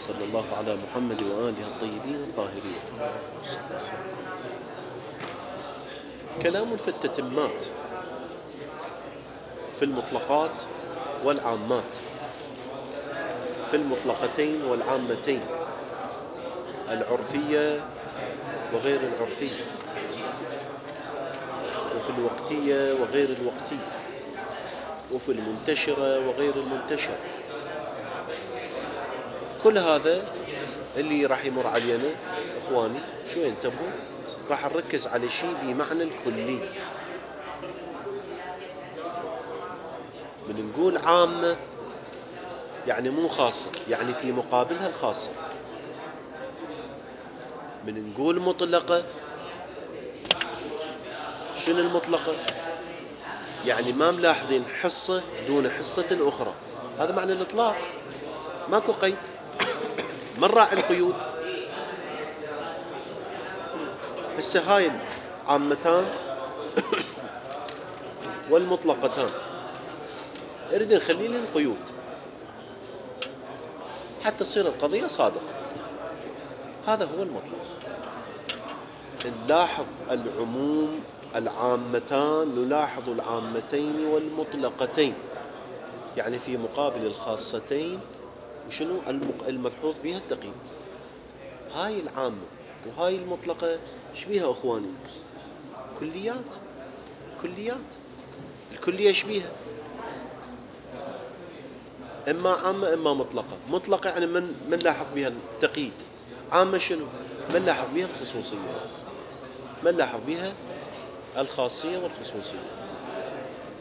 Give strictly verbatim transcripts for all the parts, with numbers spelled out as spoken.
صلى الله على محمد وآله الطيبين الطاهرين. كلام في التتمات في المطلقات والعامات، في المطلقتين والعامتين، العرفية وغير العرفية، وفي الوقتية وغير الوقتية، وفي المنتشرة وغير المنتشرة. كل هذا اللي راح يمر علينا إخواني شوي انتبهوا، راح نركز على شيء بمعنى الكلي. من نقول عامة يعني مو خاصة، يعني في مقابلها الخاصة. من نقول مطلقة، شنو المطلقة؟ يعني ما ملاحظين حصة دون حصة الأخرى، هذا معنى الإطلاق، ماكو قيد. من راعي القيود؟ السهايل عامتان والمطلقتان، اريد نخلي لي القيود حتى تصير القضية صادقة. هذا هو المطلب. نلاحظ العموم العامتان، نلاحظ العامتين والمطلقتين، يعني في مقابل الخاصتين وشنو الملحوظ بها التقييد. هاي العامة وهاي المطلقة شبيها أخواني؟ كليات. كليات. الكلية شبيها؟ إما عامة إما مطلقة. مطلقة يعني من من لاحظ بها التقييد. عامة شنو؟ من لاحظ بها الخصوصية، من لاحظ بها الخاصية والخصوصية.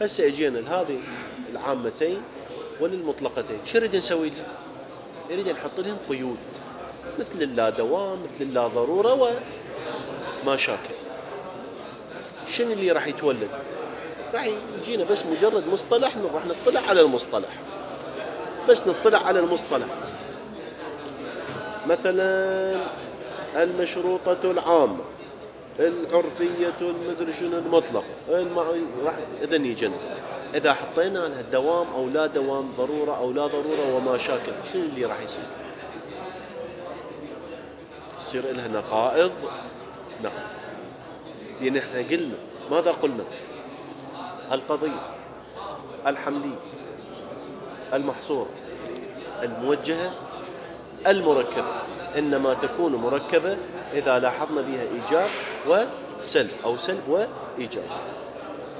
هسه اجينا لهذه العامتين وللمطلقتين، شو نريد نسوي لهم؟ نريد نحط لهم قيود، مثل اللا دوام، مثل اللا ضرورة وما شاكل. شنو اللي راح يتولد؟ راح يجينا بس مجرد مصطلح، راح نطلع على المصطلح، بس نطلع على المصطلح. مثلا المشروطة العامة، العرفية المدري شنو المطلق، راح إذن يجينا إذا حطينا لها دوام أو لا دوام، ضرورة أو لا ضرورة وما شاكل، شنو اللي راح يصير؟ يصير لها نقائض. نعم، لأن احنا قلنا ماذا قلنا؟ القضية الحملية المحصورة الموجهة المركبة إنما تكون مركبة إذا لاحظنا بها إيجاب وسلب أو سلب وإيجاب.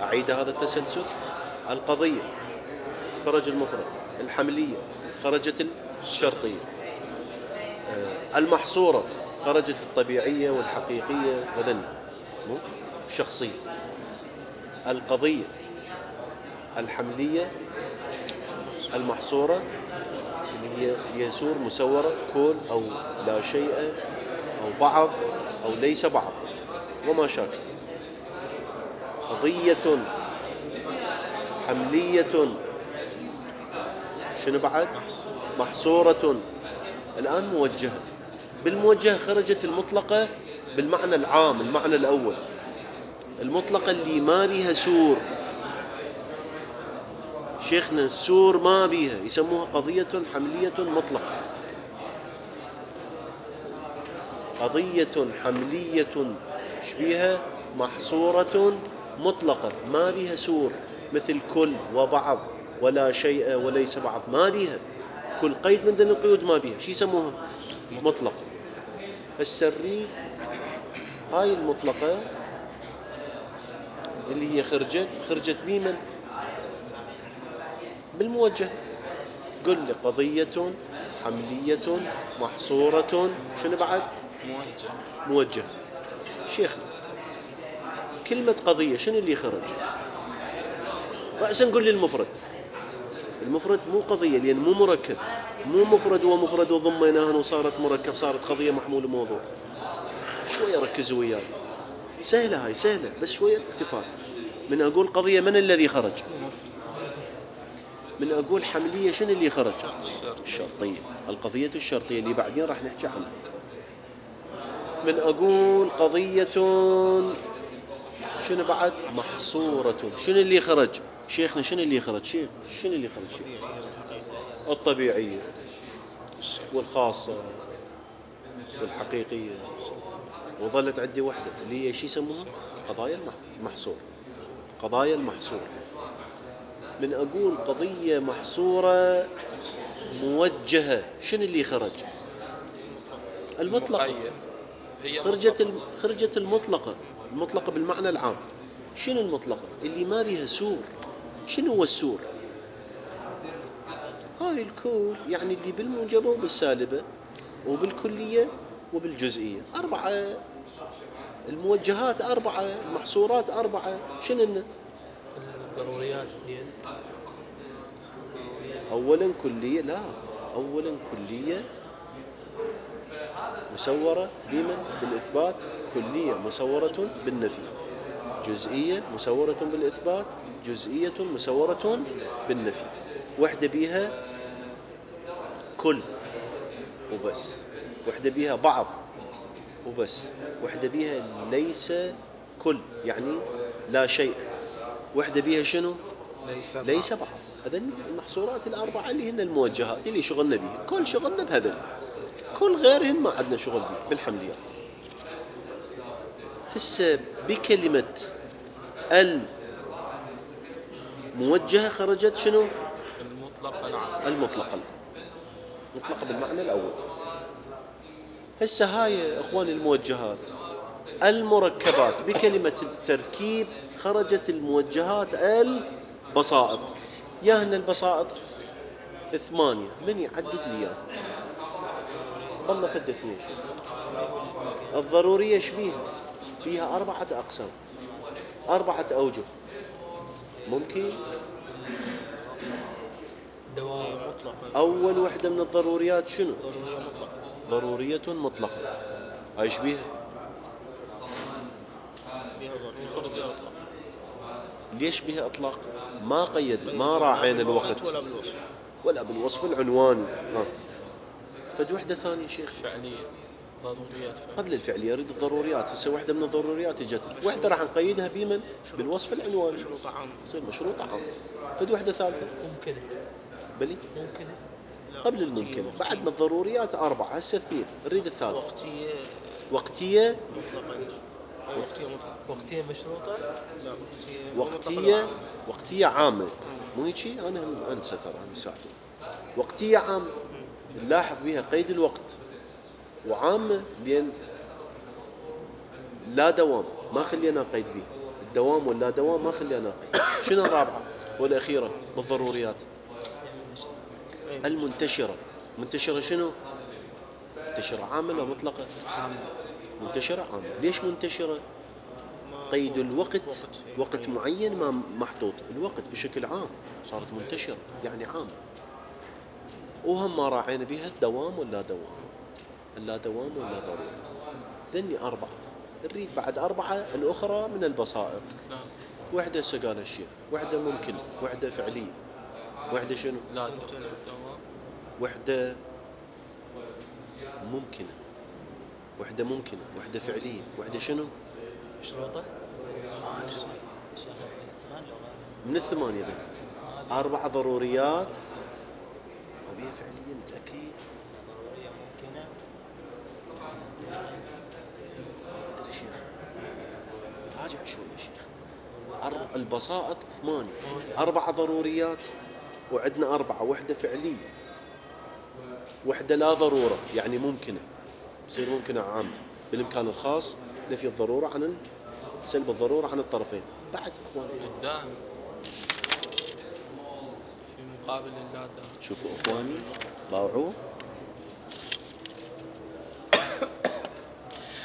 أعيد هذا التسلسل: القضية خرج المفرد، الحملية خرجت الشرطية، المحصورة خرجت الطبيعية والحقيقية وذن مو شخصية. القضية الحملية المحصورة اللي هي يسور مسورة، كل أو لا شيء أو بعض أو ليس بعض وما شاكل. قضية حملية شنو بعد؟ محصورة. الآن موجهة. بالموجهة خرجت المطلقة بالمعنى العام، المعنى الأول. المطلقة اللي ما بيها سور، شيخنا السور ما بيها، يسموها قضية حملية مطلقة. قضية حملية شبيها محصورة مطلقة ما بيها سور، مثل كل وبعض ولا شيء وليس بعض، ما بيها كل قيد من ذي القيود، ما بيها. شو يسموها؟ مطلقة. السريد هاي المطلقة اللي هي خرجت خرجت بمن؟ بالموجه. قل لي قضية حملية محصورة شنو بعد؟ موجه. موجه. شيخنا كلمة قضية شنو اللي خرج؟ رأسا نقول لي المفرد. المفرد مو قضية لأن مو مركب، مو مفرد ومفرد وضميناها وصارت مركب، صارت قضية محمول موضوع. شوية ركزوا وياي، سهلة هاي سهلة، بس شوية التفات. من أقول قضية من الذي خرج؟ من أقول حملية شنو اللي خرج؟ الشرطية. القضية الشرطية اللي بعدين راح نحكي عنها. من أقول قضية شنو بعد؟ محصورة. شنو اللي خرج؟ شيخنا شنو اللي خرج؟ شيخ شنو اللي خرج؟ شيخ الطبيعية. والخاصة والحقيقية، وظلت عندي وحدة اللي هي شي يسموها قضايا المحصور. قضايا المحصور، من أقول قضية محصورة موجهة، شنو اللي خرج؟ المطلقة. خرجت خرجت المطلقة. المطلقة بالمعنى العام. شنو المطلقة؟ اللي ما بيها سور. شنو هو السور؟ هاي الكل يعني اللي بالموجبة وبالسالبة وبالكلية وبالجزئية. أربعة الموجهات، أربعة المحصورات، أربعة. شنو؟ الضروريات هي أولا كلية، لا أولا كلية مسورة بمن؟ بالإثبات. كلية مسورة بالنفي. جزئية مسورة بالإثبات. جزئية مسورة بالنفي. وحدة بيها كل وبس. وحدة بيها بعض وبس. وحدة بيها ليس كل يعني لا شيء. وحدة بيها شنو؟ ليس, ليس بعض. هذا المحصورات الأربعة اللي هن الموجهات اللي شغلنا بيها. كل شغلنا بهذا، كل غيرهن ما عندنا شغل بيه بالحمليات. هسه بكلمة الموجهة خرجت شنو؟ المطلقة. نعم المطلقة. مطلقة بالمعنى الأول. هسه هاي أخواني الموجهات المركبات بكلمة التركيب خرجت الموجهات البسائط. ياهن البسائط ثمانية. من يعدد لي اياه؟ والله فد اثنين. شوف الضرورية شبيه فيها أربعة أقسام، أربعة أوجه. ممكن دوام مطلقة. أول وحدة من الضروريات شنو؟ ضرورية مطلقة. ضرورية مطلقة. ايش بيها؟ بها ضرورية خرجها أطلق. ليش بها أطلاق؟ ما قيد، ما راعينا الوقت ولا بالوصف ولا بالوصف العنواني. ها فد وحدة ثانية شيخ فعلية. ضروريات فعلية. قبل الفعلية يريد الضروريات. هسه وحدة من الضروريات اجت، وحدة راح نقيدها بمن؟ بالوصف العنواني. مشروط عام. تصير مشروط عام. فد وحدة ثالثة ممكنة. بلي ممكنة. قبل الممكن. بعدنا الضروريات أربعة، هسه اثنين. نريد الثالثة. وقتية. وقتية مطلقة. أو وقتية مطلقة. وقتية مشروطة. لا وقتية. وقتية. وقتية عامة. مو هيك؟ أنا أنسى ترى مساعده. وقتية عامة نلاحظ بها قيد الوقت، وعامة لأن لا دوام ما خلينا قيد به. الدوام ولا دوام ما خلينا قيد. شنو الرابعة والأخيرة بالضروريات؟ المنتشرة. منتشرة شنو؟ منتشرة عامة ولا مطلقة؟ منتشرة عامة. ليش منتشرة؟ قيد الوقت وقت معين ما محطوط. الوقت بشكل عام صارت منتشرة يعني عام. وهم ما راعينا بها الدوام ولا دوام، لا دوام ولا ضروري. ذني أربعة. نريد بعد أربعة الأخرى من البسائط. وحدة سقال الشيخ، وحدة ممكن، وحدة فعلية، وحدة شنو؟ لا دوام. وحدة ممكنة، وحدة ممكنة، وحدة فعلية، وحدة شنو؟ مشروطة. من الثمانية بين أربعة ضروريات وبيها فعلية. متأكد؟ ضرورية ممكنة. ما أدري شيخ، راجع شوي يا شيخ. أربع البسائط ثمانية، أربعة ضروريات وعندنا أربعة. وحدة فعلية، وحدة لا ضرورة يعني ممكنة، بصير ممكنة عام بالإمكان الخاص نفي الضرورة عن سلب الضرورة عن الطرفين. بعد إخواني الدائم في مقابل اللا دائم. شوفوا إخواني ضاوعوا.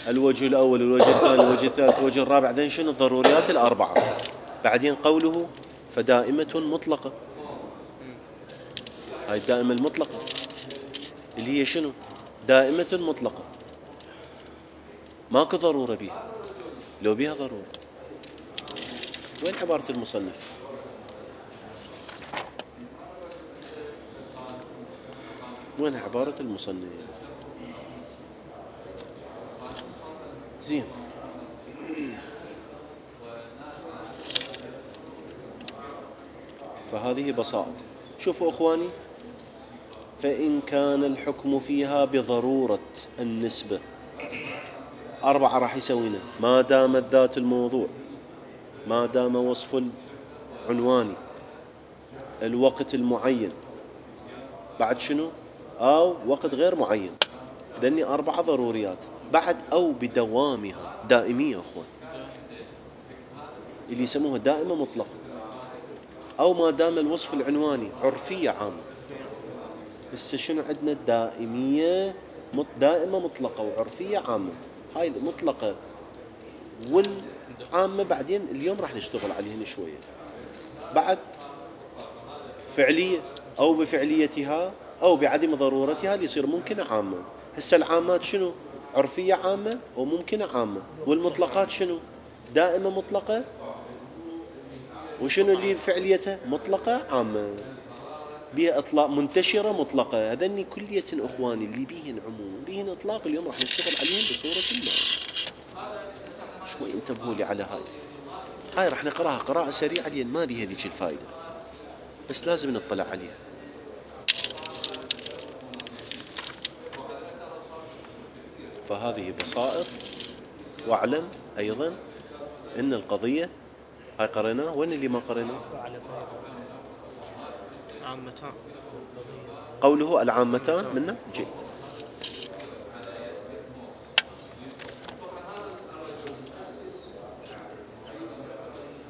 الوجه الأول، الوجه الثاني، الوجه الثالث، الوجه الرابع. ذن شنو؟ الضروريات الأربعة. بعدين قوله فدائمة مطلقة. هاي الدائمة المطلقة اللي هي شنو؟ دائمة مطلقة ماكو ضرورة بها. لو بها ضرورة وين عبارة المصنف؟ وين عبارة المصنف؟ زين. فهذه بساطة. شوفوا أخواني فإن كان الحكم فيها بضرورة النسبة. أربعة راح يسوينا ما دامت ذات الموضوع، ما دام وصف العنواني، الوقت المعين، بعد شنو؟ أو وقت غير معين. ذني أربعة ضروريات. بعد أو بدوامها، دائمية أخوان، اللي يسموها دائمة مطلقة. أو ما دام الوصف العنواني عرفية عامة. بس شنو عندنا؟ دائمية دائمة مطلقة وعرفية عامة. هاي المطلقة والعامة بعدين اليوم راح نشتغل عليهن شوية. بعد فعلية أو بفعليتها أو بعدم ضرورتها اللي يصير ممكنة عامة. هسه العامات شنو؟ عرفية عامة وممكنة عامة. والمطلقات شنو؟ دائمة مطلقة، وشنو اللي فعليتها؟ مطلقة عامة بها إطلاق، منتشرة مطلقة. هذني كلية أخواني اللي بيهن عموم بيهن إطلاق اليوم راح نشتغل عليهم بصورة ما. شوي انتبهوا لي على هاي. هاي راح نقراها قراءة سريعة لأن ما بيها ذيك الفائدة، بس لازم نطلع عليها. فهذه بسائط. واعلم أيضا إن القضية هاي قريناه. وين اللي ما قريناه؟ عامتان. قوله العامتان منا جيد.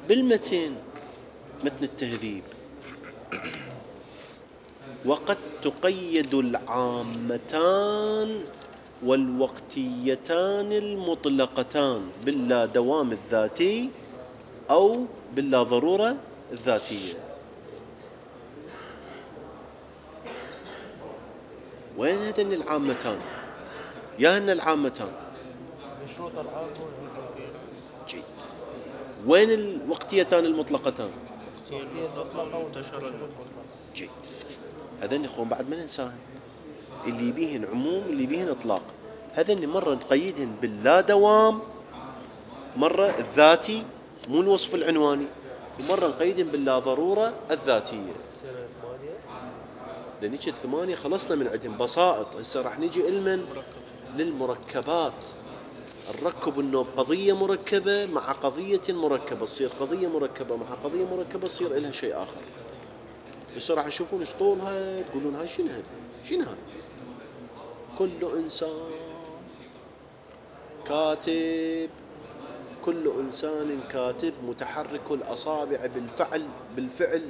بالمتن متن التهذيب: وقد تقيد العامتان والوقتيتان المطلقتان باللا دوام الذاتي أو باللا ضرورة الذاتية. وين هذين العامتان؟ يا هن العامتان مشروط العام والعرفية. جيد. وين الوقتيتان المطلقتان؟ المطلقة والمنتشرة. جيد. هذين اخوان بعد ما ننساهن، اللي بيهن عموم اللي بيهن اطلاق. هذين مرة نقيدهن باللا دوام، مرة الذاتي مو الوصف العنواني، ومرة نقيدهن باللا ضرورة الذاتية. لنيجي الثمانية خلصنا من عندهم بسائط. هسه راح نيجي المن للمركبات. الركب انه قضية مركبة مع قضية مركبة، تصير قضية مركبة مع قضية مركبة تصير إلها شيء آخر. بس راح تشوفون ايش طولها، تقولون هاي شنو هاي شنو هاي. كل إنسان كاتب، كل إنسان كاتب متحرك الأصابع بالفعل بالفعل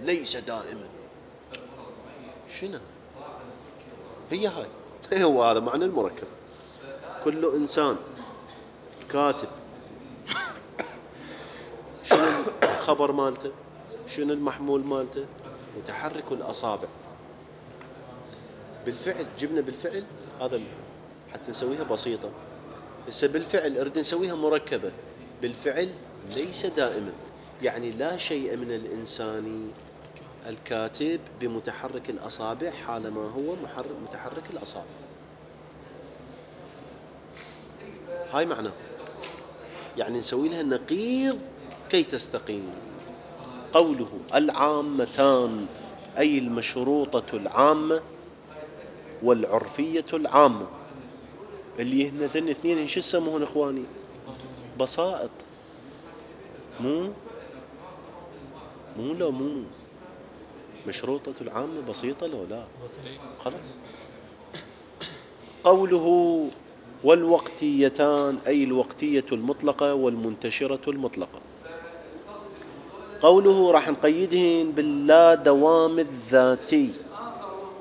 ليس دائما. شنو هي هاي؟ هو هذا معنى المركب. كل إنسان كاتب. شنو الخبر مالته؟ شنو المحمول مالته؟ متحرك الأصابع بالفعل. جبنا بالفعل هذا حتى نسويها بسيطة. هسه بالفعل أريد نسويها مركبة. بالفعل ليس دائما، يعني لا شيء من الإنسان الكاتب بمتحرك الأصابع حالما هو متحرك الأصابع. هاي معناه، يعني نسوي لها النقيض كي تستقيم. قوله العامتان أي المشروطة العامة والعرفية العامة، اللي هن ذن اثنين إن شو يسموهن إخواني؟ بسائط. مو مو لو مو مشروطة العامة بسيطة لو لا خلاص. قوله والوقتيتان أي الوقتية المطلقة والمنتشرة المطلقة. قوله راح نقيدهن باللا دوام الذاتي.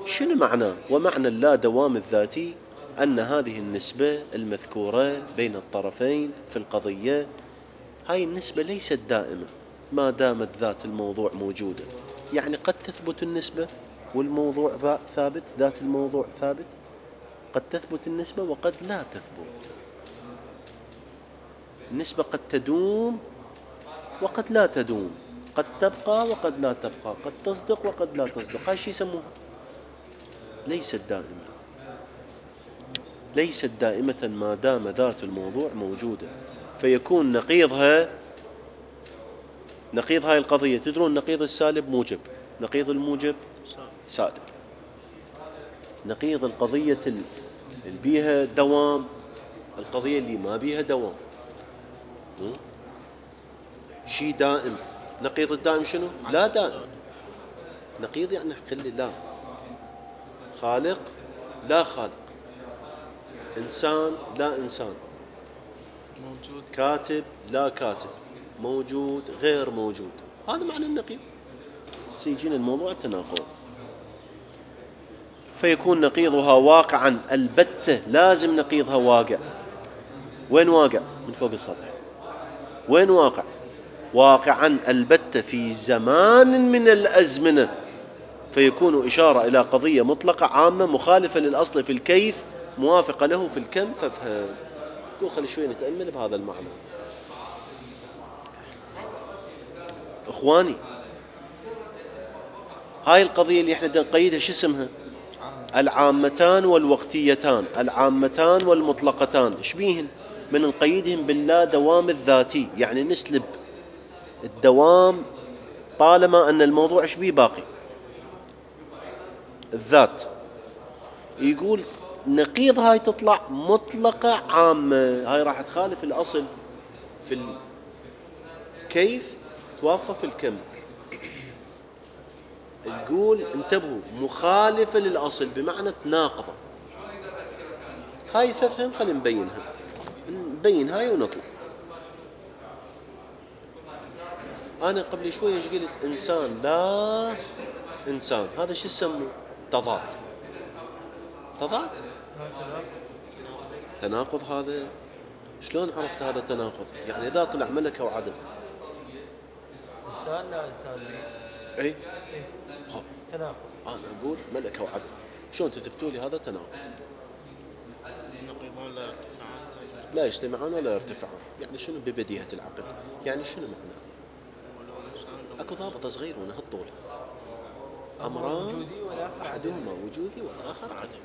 شنو معناه؟ ومعنى اللا دوام الذاتي أن هذه النسبة المذكورة بين الطرفين في القضية، هاي النسبة ليست دائمة ما دامت ذات الموضوع موجودة. يعني قد تثبت النسبة والموضوع ثابت، ذات الموضوع ثابت. قد تثبت النسبة وقد لا تثبت. النسبة قد تدوم وقد لا تدوم، قد تبقى وقد لا تبقى، قد تصدق وقد لا تصدق. هاي شي يسموها ليست دائمة. ليست دائمة ما دام ذات الموضوع موجودة. فيكون نقيضها، نقيض هاي القضية، تدرون نقيض السالب موجب، نقيض الموجب سالب. نقيض القضية اللي بيها دوام القضية اللي ما بيها دوام. شيء دائم. نقيض الدائم شنو؟ لا دائم. نقيض يعني خلي لا خالق لا خالق، إنسان لا إنسان، موجود كاتب لا كاتب، موجود غير موجود. هذا معنى النقيض. سيجينا الموضوع التناقض. فيكون نقيضها واقعا البتة. لازم نقيضها واقع. وين واقع؟ من فوق السطح. وين واقع؟ واقعا البتة في زمان من الأزمنة، فيكون إشارة إلى قضية مطلقة عامة مخالفة للأصل في الكيف موافقة له في الكم. فافهم. يقول خلي شوي نتأمل بهذا المعنى. إخواني، هاي القضية اللي احنا نقيدها شو اسمها؟ العامتان والوقتيتان، العامتان والمطلقتان. ايش بيهن؟ من نقيدهم باللا دوام الذاتي، يعني نسلب الدوام طالما أن الموضوع ايش بيه باقي؟ الذات. يقول نقيض هاي تطلع مطلقة عامة، هاي راح تخالف الأصل في الكيف توافقه في الكم. يقول انتبهوا، مخالفة للأصل بمعنى تناقضة. هاي ففهم. خلينا نبينها، نبين هاي ونطلع. أنا قبل شوية ايش قلت؟ إنسان لا إنسان. هذا شو يسموه؟ تضاد. تضاد تناقض. هذا شلون عرفت هذا تناقض؟ يعني إذا طلع ملكة وعدم. إنسان لا إنسان لي. أي إيه؟ ها. تناقض. أنا أقول ملكة وعدم، شلون تثبتوا لي هذا تناقض؟ نقيضان لا يرتفعان. لا يجتمعان ولا يرتفعان. يعني شنو ببديهة العقل؟ يعني شنو معناه؟ اكو ضابط صغير ونهالطول. امران احدهما وجودي والاخر عدم.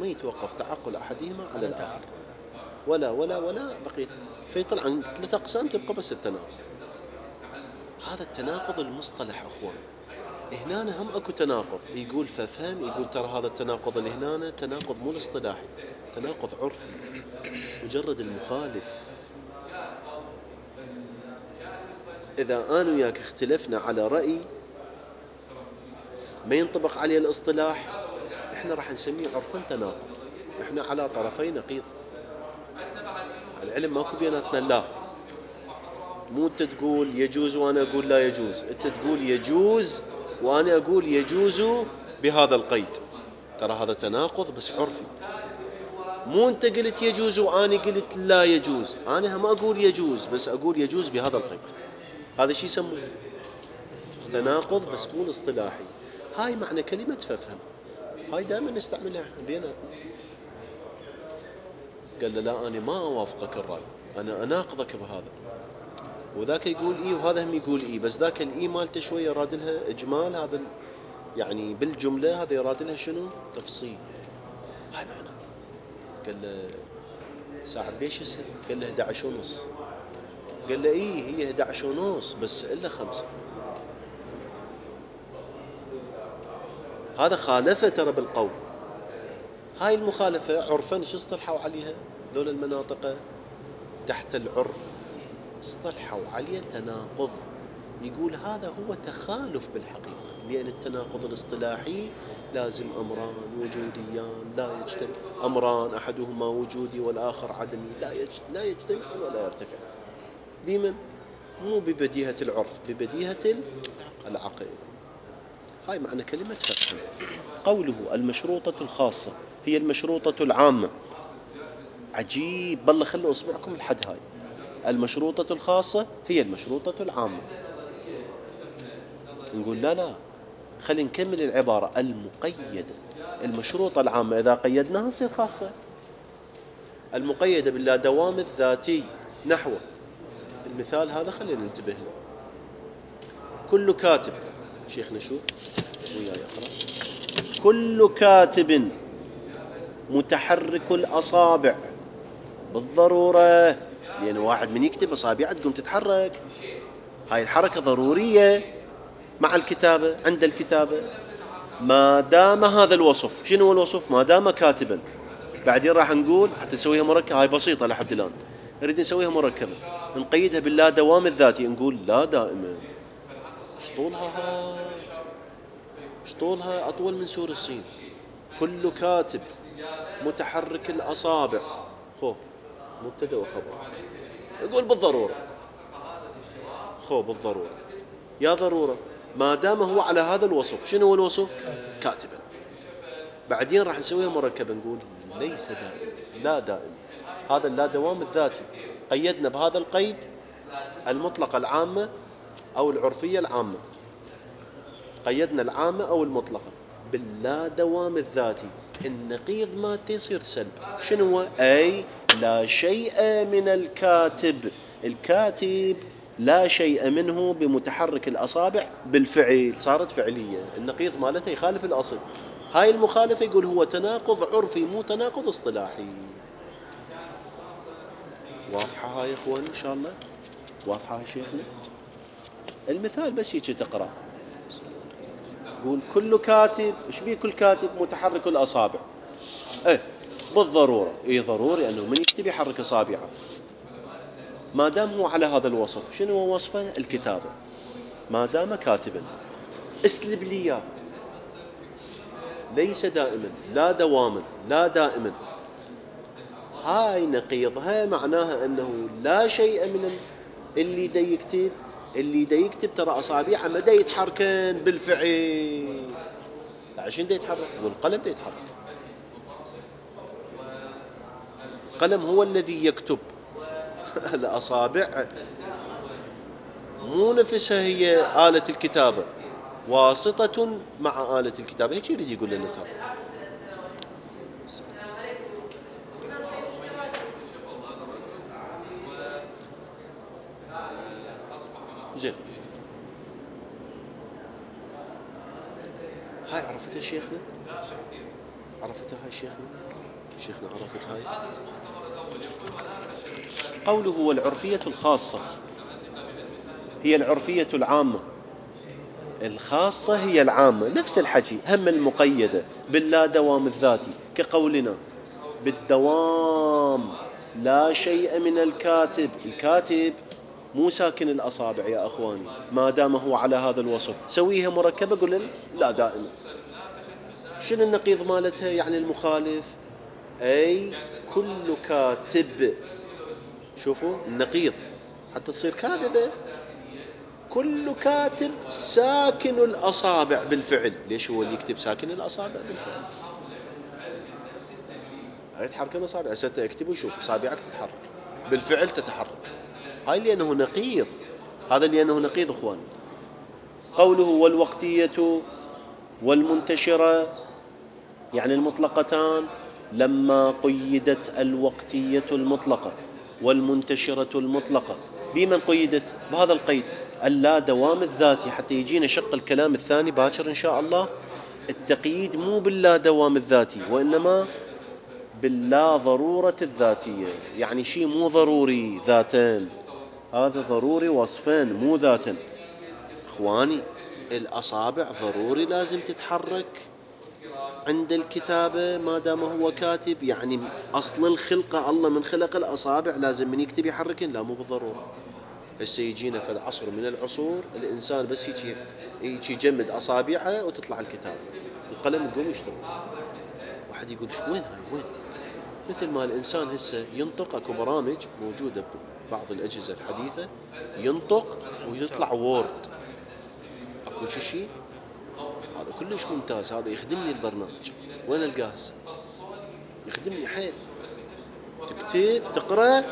ما يتوقف تعقل احدهما على الاخر، ولا ولا ولا بقيت. فيطلع عن ثلاث اقسام تبقى بس التناقض. هذا التناقض المصطلح اخوان. هنا هم اكو تناقض. يقول ففهم. يقول ترى هذا التناقض اللي هنا تناقض مو الاصطلاحي، تناقض عرفي. مجرد المخالف. إذا أنا وياك اختلفنا على رأي ما ينطبق عليه الاصطلاح، إحنا راح نسميه عرفاً تناقض. إحنا على طرفي نقيض. العلم ماكو بيناتنا لا. مو أنت تقول يجوز وأنا أقول لا يجوز، أنت تقول يجوز وأنا أقول يجوز بهذا القيد. ترى هذا تناقض بس عرفي. مو أنت قلت يجوز وأنا قلت لا يجوز، أنا هم أقول يجوز بس أقول يجوز بهذا القيد. هذا شيء يسموه تناقض بس مو الاصطلاحي. هاي معنى كلمة ففهم. هاي دائما نستعملها احنا بيناتنا. قال له لا أنا ما أوافقك الرأي، أنا أناقضك بهذا. وذاك يقول إيه وهذا هم يقول إيه، بس ذاك الإيه مالته شوية يراد لها إجمال. هذا يعني بالجملة هذا يراد لها شنو؟ تفصيل. هاي معنى. قال له ساعة بيش السن؟ قال له إحدى عشر ونص. قال له إيه هي إحدى عشر ونص بس إلا خمسة. هذا خالفه ترى بالقول. هاي المخالفة عرفاً شو اصطلحوا عليها ذول المناطق تحت العرف؟ اصطلحوا عليه تناقض. يقول هذا هو تخالف بالحقيقة، لأن التناقض الاصطلاحي لازم أمران وجوديان لا يجتمع. أمران أحدهما وجودي والآخر عدمي لا لا يجتمع ولا يرتفع. بمن؟ مو ببديهة العرف، ببديهة العقل. هاي معنى كلمة فقه. قوله المشروطة الخاصة هي المشروطة العامة. عجيب بالله، خلوا أصبعكم لحد هاي. المشروطة الخاصة هي المشروطة العامة. نقول لا لا، خلينا نكمل العبارة. المقيدة. المشروطة العامة إذا قيدناها تصير خاصة. المقيدة باللا دوام الذاتي. نحو المثال هذا خلينا ننتبه له. كل كاتب، شيخنا شو وياي أقرأ. كل كاتب متحرك الأصابع بالضرورة، لأن واحد من يكتب أصابعه تقوم تتحرك. هاي الحركة ضرورية. مع الكتابة عند الكتابة. ما دام هذا الوصف، شنو هو الوصف؟ ما دام كاتبا. بعدين راح نقول حتى نسويها مركبة، هاي بسيطة لحد الآن، نريد نسويها مركبة نقيدها باللا دوام الذاتي، نقول لا دائما. ايش طولها هاي؟ ايش طولها؟ أطول من سور الصين. كل كاتب متحرك الأصابع. خو مبتدأ وخبر. نقول بالضرورة. خو بالضرورة. يا ضرورة. ما دام هو على هذا الوصف. شنو هو الوصف؟ كاتبا. بعدين راح نسويها مركبة نقول ليس دائما، لا دائما. هذا اللا دوام الذاتي قيدنا بهذا القيد المطلقة العامة أو العرفية العامة. قيدنا العامة أو المطلقة باللا دوام الذاتي. النقيض ما تصير سلب. شنو هو؟ أي لا شيء من الكاتب. الكاتب لا شيء منه بمتحرك الأصابع بالفعل، صارت فعلية. النقيض مالته يخالف الأصل. هاي المخالفة يقول هو تناقض عرفي مو تناقض اصطلاحي. واضحة هاي يا اخوان ان شاء الله؟ واضحة يا شيخنا؟ المثال بس هيك تقرأ، قول كل كاتب. ايش بيه كل كاتب؟ متحرك الأصابع. ايه بالضرورة، ايه ضروري انه من يكتب يحرك أصابعه ما دام هو على هذا الوصف. شنو هو وصفه؟ الكتابة. ما دام كاتبا. اسلب لي اياه. ليس دائما، لا دواما، لا دائما. هاي نقيضها، معناها انه لا شيء من اللي دا يكتب. اللي دا يكتب ترى أصابعه ما دا يتحركن بالفعل. عشان دا يتحرك؟ يقول القلم دا يتحرك. القلم هو الذي يكتب. الأصابع مو نفسها هي آلة الكتابة، واسطة مع آلة الكتابة. هيك يريد يقول لنا ترى. زين، هاي عرفتها شيخنا؟ عرفتها هاي شيخنا؟ شيخنا عرفت هاي؟ قوله والعرفية الخاصة هي العرفية العامة. الخاصة هي العامة، نفس الحكي. هم المقيدة باللا دوام الذاتي كقولنا بالدوام لا شيء من الكاتب. الكاتب مو ساكن الأصابع يا أخواني ما دام هو على هذا الوصف. سويها مركبة قل لا دائما. شنو النقيض مالتها؟ يعني المخالف. أي كل كاتب. شوفوا النقيض حتى تصير كاذبة. كل كاتب ساكن الأصابع بالفعل. ليش هو اللي يكتب ساكن الأصابع بالفعل؟ هاي تحرك الأصابع. ستة اكتب وشوف أصابعك تتحرك بالفعل، تتحرك. هاي لأنه نقيض. هذا لأنه نقيض أخواني. قوله والوقتية والمنتشرة يعني المطلقتان لما قيدت الوقتية المطلقة والمنتشرة المطلقة. بمن قيدت؟ بهذا القيد اللا دوام الذاتي. حتى يجينا شق الكلام الثاني باكر إن شاء الله. التقييد مو باللا دوام الذاتي وإنما باللا ضرورة الذاتية. يعني شيء مو ضروري ذاتين، هذا ضروري وصفين مو ذاتين. إخواني الأصابع ضروري لازم تتحرك عند الكتابة ما دام هو كاتب. يعني أصل الخلقة الله من خلق الأصابع لازم من يكتب يحركن؟ لا مو بالضرورة. هسه يجينا في العصر من العصور الإنسان بس يجي يجي يجمد أصابعه وتطلع الكتابة، القلم يقوم يشتغل. واحد يقول وين هاي وين؟ مثل ما الإنسان هسه ينطق. أكو برامج موجودة ببعض الأجهزة الحديثة ينطق ويطلع وورد. أكو شيء هذا كلش ممتاز. هذا يخدمني البرنامج. وين القاه هسه؟ يخدمني حيل. تكتب تقرأ.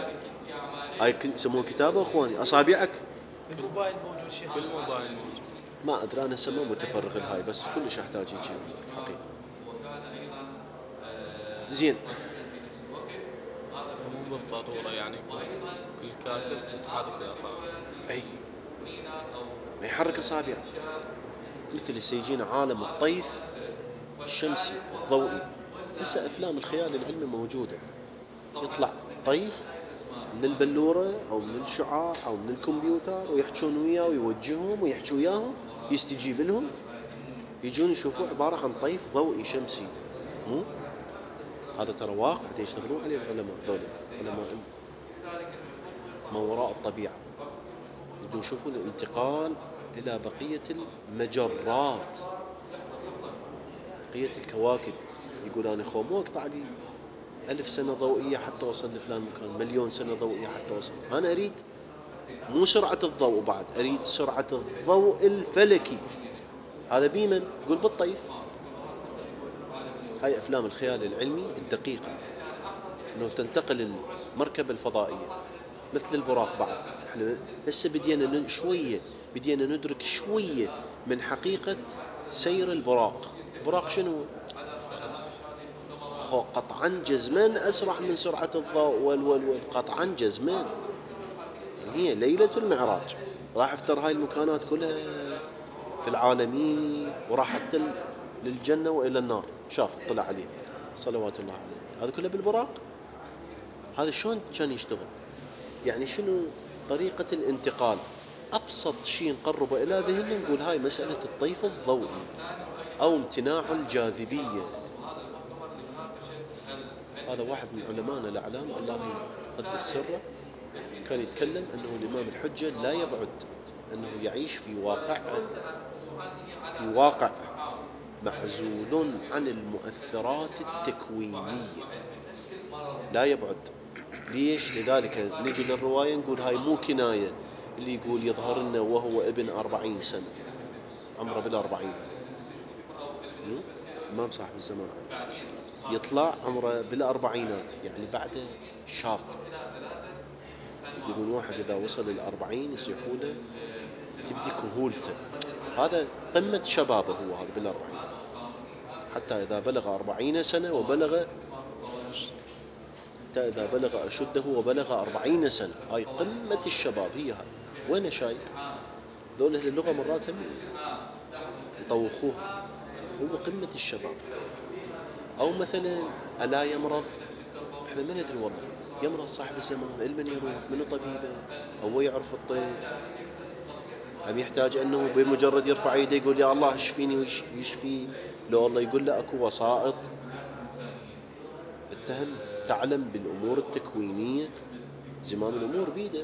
هاي يسموه كتابة أخواني. أصابعك الموبايل موجود شيخ. في الموبايل موجود. ما أدري أنا هسه ما متفرغ لهاي، بس كلش أحتاج يجي حقيقة. زين، مو بالضرورة يعني كل كاتب متحرك الأصابع. أي ما يحرك أصابعه. مثل هسه يجينا عالم الطيف الشمسي الضوئي. هسه أفلام الخيال العلمي موجودة. يطلع طيف من البلورة أو من الشعاع أو من الكمبيوتر ويحجون وياه ويوجههم ويحجوا وياهم يستجيب لهم يجون يشوفوه عبارة عن طيف ضوئي شمسي. مو هذا ترى واقع يشتغلون عليه العلماء ذولا، علماء ما وراء الطبيعة، يبدون يشوفون الانتقال إلى بقية المجرات، بقية الكواكب. يقول أنا خو مو اقطع لي ألف سنة ضوئية حتى أوصل لفلان مكان، مليون سنة ضوئية حتى أوصل. أنا أريد مو سرعة الضوء بعد، أريد سرعة الضوء الفلكي. هذا بيمن يقول بالطيف. هاي أفلام الخيال العلمي الدقيقة، أنه تنتقل المركبة الفضائية مثل البراق. بعد احنا هسه بدينا شوية بدينا ندرك شوية من حقيقة سير البراق. البراق شنو؟ قطعا جزمان أسرع من سرعة الضوء والول قطعا جزمان. هي ليلة المعراج راح افتر هاي المكانات كلها في العالمين، وراح حتى للجنة وإلى النار، شاف طلع عليه صلوات الله عليه. هذا كله بالبراق. هذا شلون كان يشتغل؟ يعني شنو طريقة الانتقال؟ أبسط شيء نقربه إلى ذهننا نقول هاي مسألة الطيف الضوئي أو امتناع الجاذبية. هذا واحد من علمائنا الأعلام الله يقدس سره كان يتكلم أنه الإمام الحجة لا يبعد أنه يعيش في واقع في واقع معزول عن المؤثرات التكوينية، لا يبعد. ليش؟ لذلك نجي للرواية نقول هاي مو كناية اللي يقول يظهر لنا وهو ابن أربعين سنة، عمره بالأربعينات. إمام صاحب الزمان عليه السلام يطلع عمره بالأربعينات، يعني بعده شاب. يقولون واحد إذا وصل الأربعين يصيحوا له تبدي كهولته، هذا قمة شبابه هو هذا بالأربعين. حتى إذا بلغ أربعين سنة وبلغ حتى إذا بلغ أشده وبلغ أربعين سنة، هاي قمة الشباب. هي هاي وين شايف دول أهل اللغة مرات هم يطوخوها، هو قمة الشباب. أو مثلا ألا يمرض، احنا ما ندري والله يمرض صاحب الزمان، المن يروح منو طبيبه، أو يعرف الطب، أم يحتاج أنه بمجرد يرفع يده يقول يا الله اشفيني ويشفي؟ لو الله يقول له أكو وسائط اتهم تعلم بالأمور التكوينية، زمام الأمور بيده.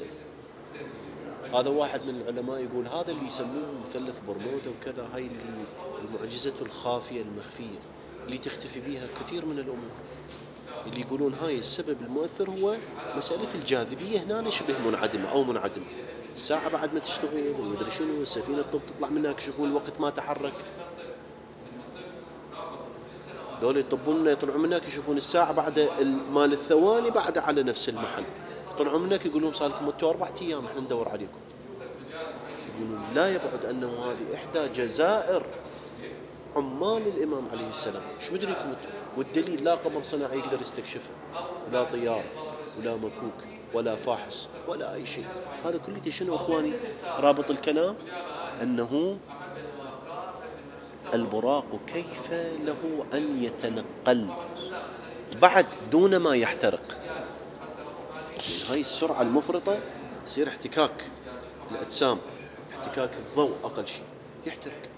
هذا واحد من العلماء يقول هذا اللي يسموه مثلث برمودا وكذا، هاي اللي المعجزة الخافية المخفية اللي تختفي بها كثير من الأمور، اللي يقولون هاي السبب المؤثر هو مسألة الجاذبية هنا شبه منعدمة أو منعدمة. الساعة بعد ما تشتغل ومدري شنو، السفينة الطب تطلع منها يكشفون الوقت ما تحرك. دول يطبون منها يطلعون منها يشوفون الساعة بعد مال الثواني بعد على نفس المحل. طلعوا منك يقولون صار لكم انتوا أربعة أيام احنا ندور عليكم. يقولون لا يبعد أنه هذه إحدى جزائر عمال الإمام عليه السلام. شو مدريكم؟ والدليل لا قمر صناعي يقدر يستكشفه، ولا طيارة، ولا مكوك، ولا فاحص، ولا أي شيء. هذا كله شنو أخواني رابط الكلام؟ أنه البراق كيف له أن يتنقل بعد دون ما يحترق. من هاي السرعة المفرطة يصير احتكاك الأجسام، احتكاك الضوء أقل شيء يحترق.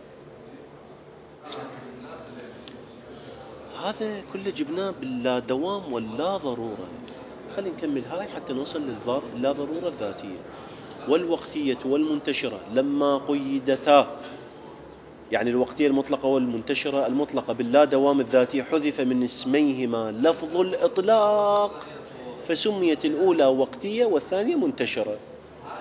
هذا كله جبناه باللا دوام واللا ضرورة. خلينا نكمل هاي حتى نوصل لللا ضرورة الذاتية والوقتية والمنتشرة لما قيدتا. يعني الوقتية المطلقة والمنتشرة المطلقة باللا دوام الذاتي حذف من اسميهما لفظ الإطلاق، فسميت الأولى وقتية والثانية منتشرة.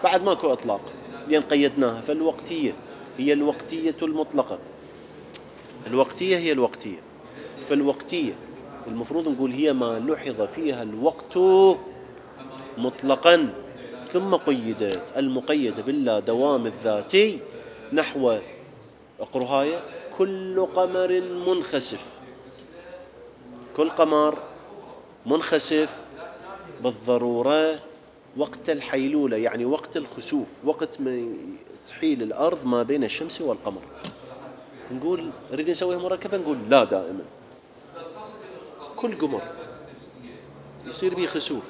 بعد ماكو إطلاق لأن قيدناها. فالوقتية هي الوقتية المطلقة، الوقتية هي الوقتية. فالوقتية المفروض نقول هي ما لحظ فيها الوقت مطلقا ثم قيدت، المقيدة باللا دوام الذاتي نحو اقرهاية كل قمر منخسف. كل قمر منخسف بالضرورة وقت الحيلولة، يعني وقت الخسوف، وقت ما تحيل الأرض ما بين الشمس والقمر. نقول نريد نسويها مركبة، نقول لا، دائما كل قمر يصير به خسوف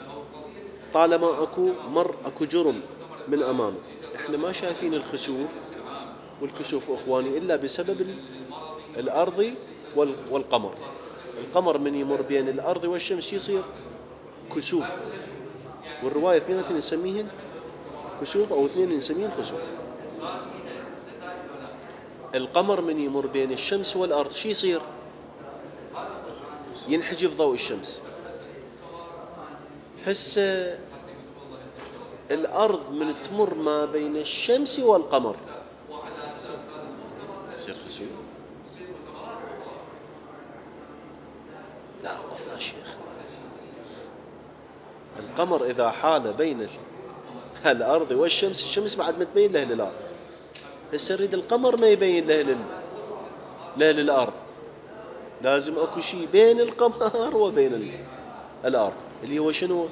طالما أكو مر أكو جرم من أمامه. إحنا ما شايفين الخسوف والكسوف اخواني الا بسبب الارض والقمر. القمر من يمر بين الارض والشمس يصير كسوف، والرواية اثنين نسميهن كسوف او اثنين نسميهن خسوف. القمر من يمر بين الشمس والارض شي يصير؟ ينحجب ضوء الشمس. هسه الارض من تمر ما بين الشمس والقمر يصير خسوف؟ لا والله شيخ، القمر اذا حال بين الارض والشمس، الشمس بعد ما تبين له للارض. هسه نريد القمر ما يبين له لل... له للارض، لازم اكو شيء بين القمر وبين ال... الارض اللي هو شنو؟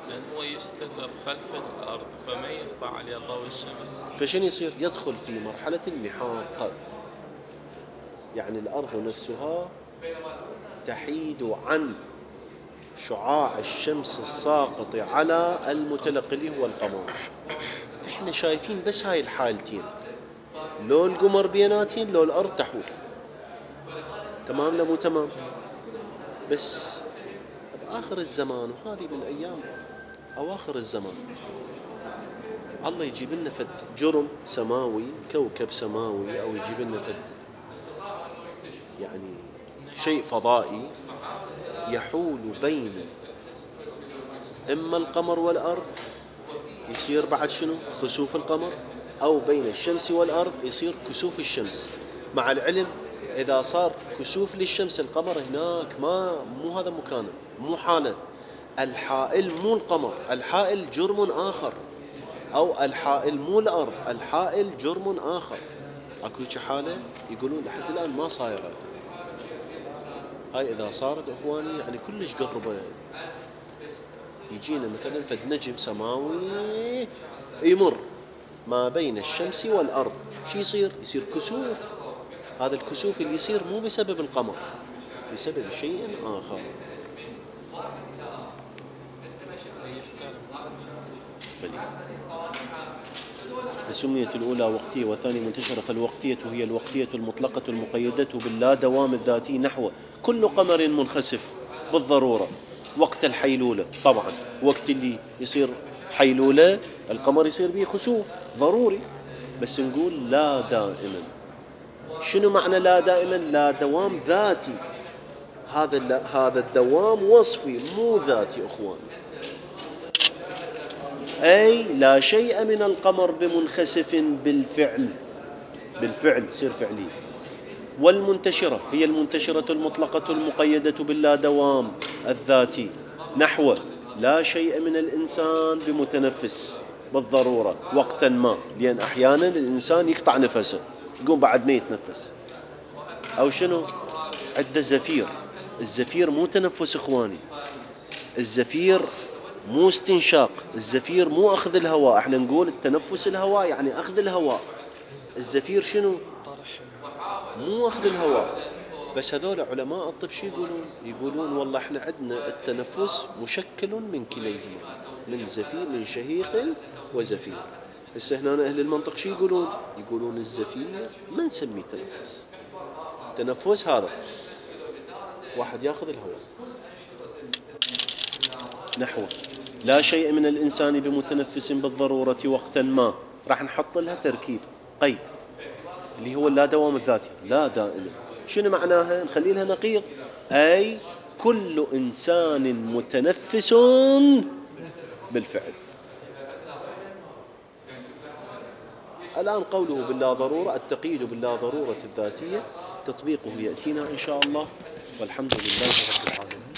لأن هو يستتر خلف الأرض فما يسطع عليه ضوء الشمس. فشنو يصير؟ يدخل في مرحلة المحاق، يعني الأرض نفسها تحيد عن شعاع الشمس الساقط على المتلقي اللي هو القمر. احنا شايفين بس هاي الحالتين، لو القمر بيناتين لو الأرض تحول. تمام لا مو تمام؟ بس بآخر الزمان، وهذه من أيام أواخر الزمان، الله يجيب لنا فد جرم سماوي، كوكب سماوي، أو يجيب لنا فد يعني شيء فضائي يحول بين إما القمر والأرض يصير بعد شنو؟ خسوف القمر، أو بين الشمس والأرض يصير كسوف الشمس. مع العلم إذا صار كسوف للشمس القمر هناك ما مو هذا مكانه، مو حاله. الحائل مو القمر، الحائل جرم آخر، أو الحائل مو الأرض، الحائل جرم آخر. أكو حالة يقولون لحد الآن ما صايرة. هاي إذا صارت إخواني يعني كلش قربت. يجينا مثلا فد نجم سماوي يمر ما بين الشمس والأرض، شي يصير؟ يصير كسوف. هذا الكسوف اللي يصير مو بسبب القمر، بسبب شيء آخر. فسميت الأولى وقتية والثانية منتشرة. فالوقتية هي الوقتية المطلقة المقيدة باللا دوام الذاتي، نحو كل قمر منخسف بالضرورة وقت الحيلولة. طبعا وقت اللي يصير حيلولة القمر يصير به خسوف ضروري، بس نقول لا دائما. شنو معنى لا دائما؟ لا دوام ذاتي. هذا هذا الدوام وصفي مو ذاتي اخوان. أي لا شيء من القمر بمنخسف بالفعل، بالفعل يصير فعلي. والمنتشرة هي المنتشرة المطلقة المقيدة باللا دوام الذاتي، نحو لا شيء من الإنسان بمتنفس بالضرورة وقتا ما، لأن أحيانا الإنسان يقطع نفسه يقوم بعد ما يتنفس. أو شنو؟ عند زفير. الزفير مو تنفس إخواني، الزفير مو استنشاق، الزفير مو أخذ الهواء. احنا نقول التنفس الهواء يعني أخذ الهواء، الزفير شنو؟ مو أخذ الهواء. بس هذول علماء الطب شو يقولون؟ يقولون والله احنا عندنا التنفس مشكل من كليهما، من زفير، من شهيق وزفير. هسه هنا أهل المنطق شو يقولون؟ يقولون الزفير ما نسميه تنفس. تنفس هذا واحد ياخذ الهواء. نحو لا شيء من الإنسان بمتنفس بالضرورة وقتا ما، راح نحط لها تركيب قيد اللي هو لا دوام الذاتي، لا دائما. شنو معناها؟ نخلي لها نقيض، أي كل إنسان متنفس بالفعل. الآن قوله باللا ضرورة، التقييد باللا ضرورة الذاتية تطبيقه يأتينا إن شاء الله، والحمد لله رب العالمين.